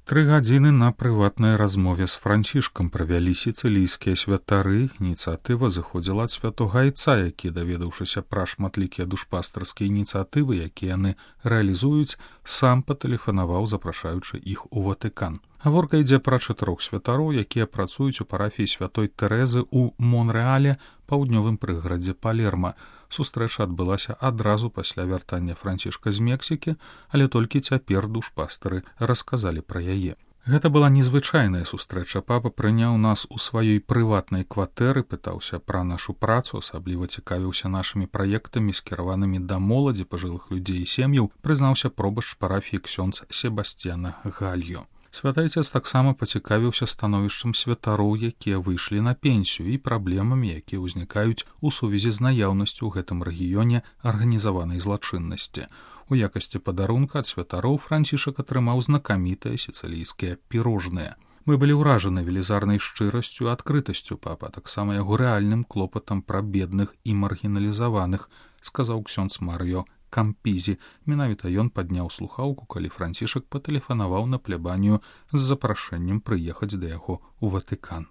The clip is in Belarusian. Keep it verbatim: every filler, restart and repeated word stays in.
Тры гадзіны на прыватнай размове з Францішкам правялі сіцылійскія святары. Ініцыятыва зыходзіла ад святога айца, які, даведаўшыся пра шматлікія душпастарскія ініцыятывы, якія яны рэалізуюць, сам патэлефанаваў, запрашаючы іх у Ватыкан. Гаворка ідзе пра чатырох святароў, якія працуюць у парафіі святой Тэрэзы ў Монрэале, паўднёвым прыгарадзе Палерма. Сустрэча адбылася адразу пасля вяртання Францішка з Мексікі, але толькі цяпер душпастары расказалі пра яе. Гэта была незвычайная сустрэча. Папа прыняў нас у сваёй прыватнай кватэры, пытаўся пра нашу працу, асабліва цікавіўся нашымі праектамі, скіраванымі да моладзі, пажылых людзей і сем'яў, прызнаўся пробашч парафіі ксёндз Себасцьяна Гальо. Святайцец таксама пацікавіўся становішчам святароў, якія выйшлі на пенсію, і праблемамі, якія ўзнікаюць у сувязі з наяўнасцю ў гэтым рэгіёне арганізаванай злачыннасці. У якасці падарунка ад святароў Францішак атрымаў знакамітыя сіцылійскія пірожныя. Мы былі ўражаны велізарнай шчырасцю і адкрытасцю папа, таксама яго рэальным клопатам пра бедных і маргіналізаваных, сказаў ксёндз Марыё Кампізі. Менавіта ён падняў слухаўку, калі Францішак патэлефанаваў на плябанію з запрашэннем прыехаць да яго ў Ватыкан.